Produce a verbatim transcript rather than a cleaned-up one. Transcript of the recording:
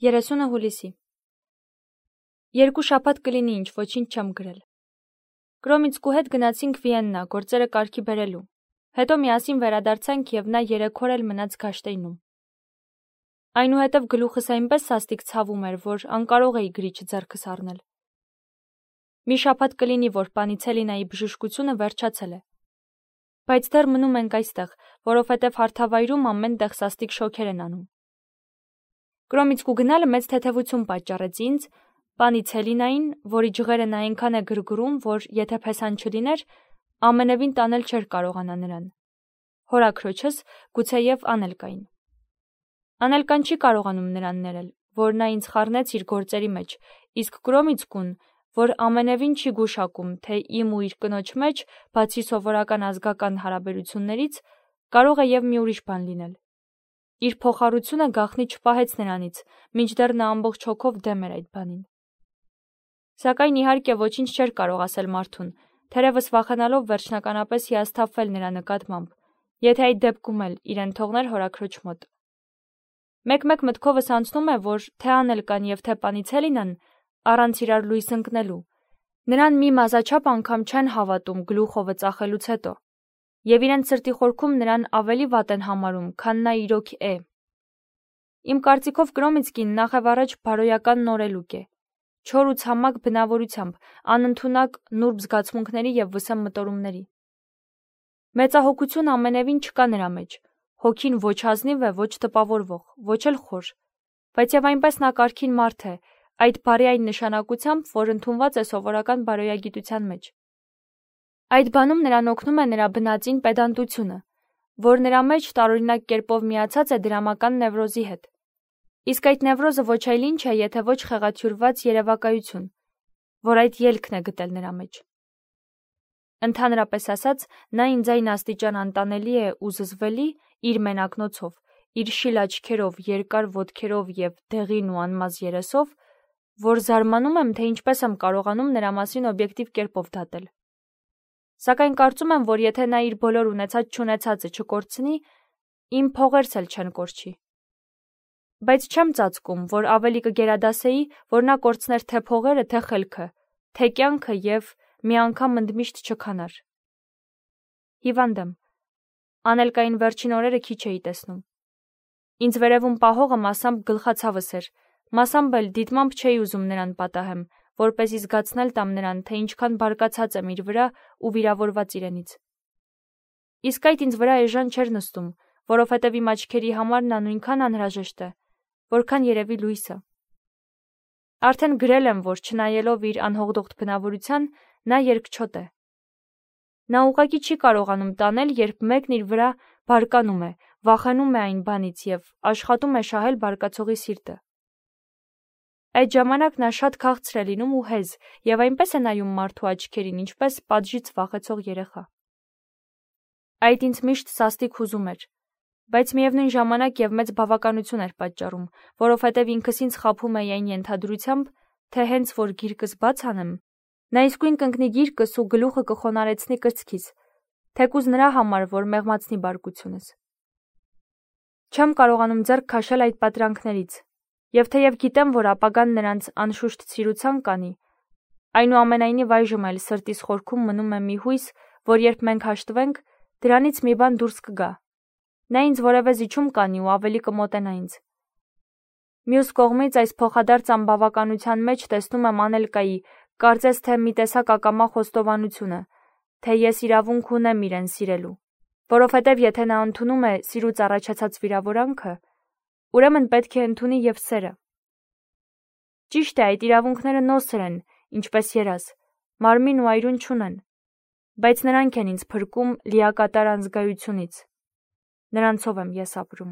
երեսունը հուլիսի Երկու շաբաթ կլինի ինչ ոչինչ չեմ գրել։ Կրոմիցկու հետ գնացինք Վիեննա գործերը կարգի բերելու։ Հետո միասին վերադարձանք եւ նա երեք օր էլ մնաց Գաշտեյնում։ Այնուհետև գլուխս այնպես սաստիկ ցավում էր, որ անկարող էի գրիչը ձեռքս առնել։ Մի շաբաթ կլինի, որ Պանիցելինայի բժշկությունը վերջացել է։ Բայց դեռ մնում ենք այստեղ, որովհետև հարթավայրում ամեն տեղ սաստիկ շոքեր են անում։ Կրոմիցկու գնալը մեծ թեթևություն պատճառեց ինձ, Պանիցելինային, որի ջղերը նա այնքան է գրգռում, որ եթե փեսան չլիներ, ամենևին տանել չէր կարողանա նրան։ Հորաքրոջս, գուցեև Անելկային։ Անելկան չի կարողանում նրան ներել, որ նա ինձ խառնեց իր գործերի մեջ, իսկ Կրոմիցկուն, որ ամենևին չի գուշակում, թե իմ ու իր կնոջ մեջ, բացի սովորական ազգական հարաբերություններից, կարող է եւ մի ուրիշ բան լինել։ Իր փոխառությունը գաղտնի չպահեց նրանից, մինչդեռ նա ամբողջ հոգով դեմ էր այդ բանին։ Սակայն իհարկե ոչինչ չէր կարող ասել մարդուն, թերևս վախենալով վերջնականապես հիասթափվել նրա նկատմամբ, եթե այդ դեպքում էլ իրեն թողներ հորաքրոջ մոտ։ Մեկ-մեկ մտքովս անցնում է, որ թե Անելկան եւ թե Պանիցելինան առանց իրար լույս ընկնելու, նրան մի մազաչափ անգամ չեն հավատում գլուխովը ծախելուց հետո, եւ իրենց սրտի խորքում նրան ավելի վատ են համարում, քան նա իրոք է։ Իմ կարծիքով Կրոմիցկին նախևառաջ բարոյական նորելուկ է, չոր ու ցամաք բնավորությամբ, անընդունակ նուրբ զգացմունքների եւ վսեմ մտորումների։ Մեծահոգություն ամենևին չկա նրա մեջ, հոգին ոչ ազնիվ է, ոչ տպավորվող, ոչ էլ խոր, բայց եւ այնպես նա կարգին մարդ է, այդ բարի այն նշանակությամբ, որ ընդունված է սովորական բարոյագիտության մեջ։ Այդ բանում նրան օգնում է նրա բնածին պեդանտությունը, որ նրա մեջ տարօրինակ կերպով միացած է դրամական նևրոզի հետ։ Իսկ այդ նևրոզը ոչ այլ ինչ է, եթե ոչ խեղաթյուրված երևակայություն, որ այդ ելքն է գտել նրա մեջ։ Ընդհանրապես ասած, նա ինձ այն աստիճան անտանելի է ու զզվելի իր մենակնոցով, իր շիլ աչքերով, երկար ոտքերով եւ դեղին ու անմազ երեսով, որ զարմանում եմ, թե ինչպես եմ կարողանում նրա մասին օբյեկտիվ կերպով դատել։ Սակայն կարծում եմ, որ եթե նա իր բոլոր ունեցած-չունեցածը չկորցնի, իմ փողերս էլ չեն կորչի։ Բայց չեմ ծածկում, որ ավելի կգերադասեի, որ նա կորցներ թե փողերը, թե խելքը, թե կյանքը եւ մի անգամ ընդմիշտ չքանար։ Հիվանդ եմ։ Անելկային վերջին օրերը քիչ էի տեսնում։ Ինձ վերևում պահողը մասամբ գլխացավս էր, մասամբ էլ դիտմամբ չէի ուզում նրան պատահեմ, որպեսզի զգացնել տամ նրան, թե ինչքան բարկացած եմ իր վրա ու վիրավորված իրենից։ Իսկ այդ ինձ վրա էժան չէր նստում, որովհետև իմ աչքերի համար նա նույնքան անհրաժեշտ է, որքան երևի լույսը։ Արդեն գրել եմ, որ չնայելով իր անհողդողդ բնավորության, նա երկչոտ է։ Նա ուղղակի չի կարողանում տանել, երբ մեկն իր վրա բարկանում է, վախենում է այն բանից եւ աշխատում է շահել բարկացողի սիրտը։ Այդ ժամանակ նա շատ քաղցր է լինում ու հեզ եւ այնպես է նայում մարդու աչքերին, ինչպես պատժից վախեցող երեխա։ Այդ ինձ միշտ սաստիկ հուզում էր, բայց միևնույն ժամանակ եւ մեծ բավականություն էր պատճառում, որովհետեւ ինքս ինձ խաբում էի այն ենթադրությամբ, թե հենց որ գիրկս բաց անեմ, նա իսկույն կընկնի գիրկս ու գլուխը կխոնարեցնի կրծքից, թեկուզ նրա համար, որ մեղմացնի բարկությունս։ Չեմ կարողանում ձեռք քաշել այդ պատրանքներից, եւ թեև գիտեմ, որ ապագան նրանց անշուշտ ցիրուցան կանի, այնուամենայնիվ այժմ էլ սրտիս խորքում մնում է մի հույս, որ երբ մենք հաշտվենք, դրանից մի բան դուրս կգա։ Նա ինձ որևէ զիջում կանի ու ավելի կմոտենա ինձ։ Մյուս կողմից այս փոխադարձ անբավականության մեջ տեսնում եմ Անելկայի, կարծես թե մի տեսակ ակամա խոստովանությունը, թե ես իրավունք ունեմ իրեն սիրելու, որովհետև եթե նա ընդունում է սիրուց առաջացած վիրավորանքը, ուրեմն պետք է ընդունի եւ սերը։ Ճիշտ է, այդ իրավունքները նոսր են, ինչպես երազ, մարմին ու այրուն չունեն, բայց նրանք են ինձ փրկում լիակատար անզգայությունից։ Նրանցով եմ ես ապրում։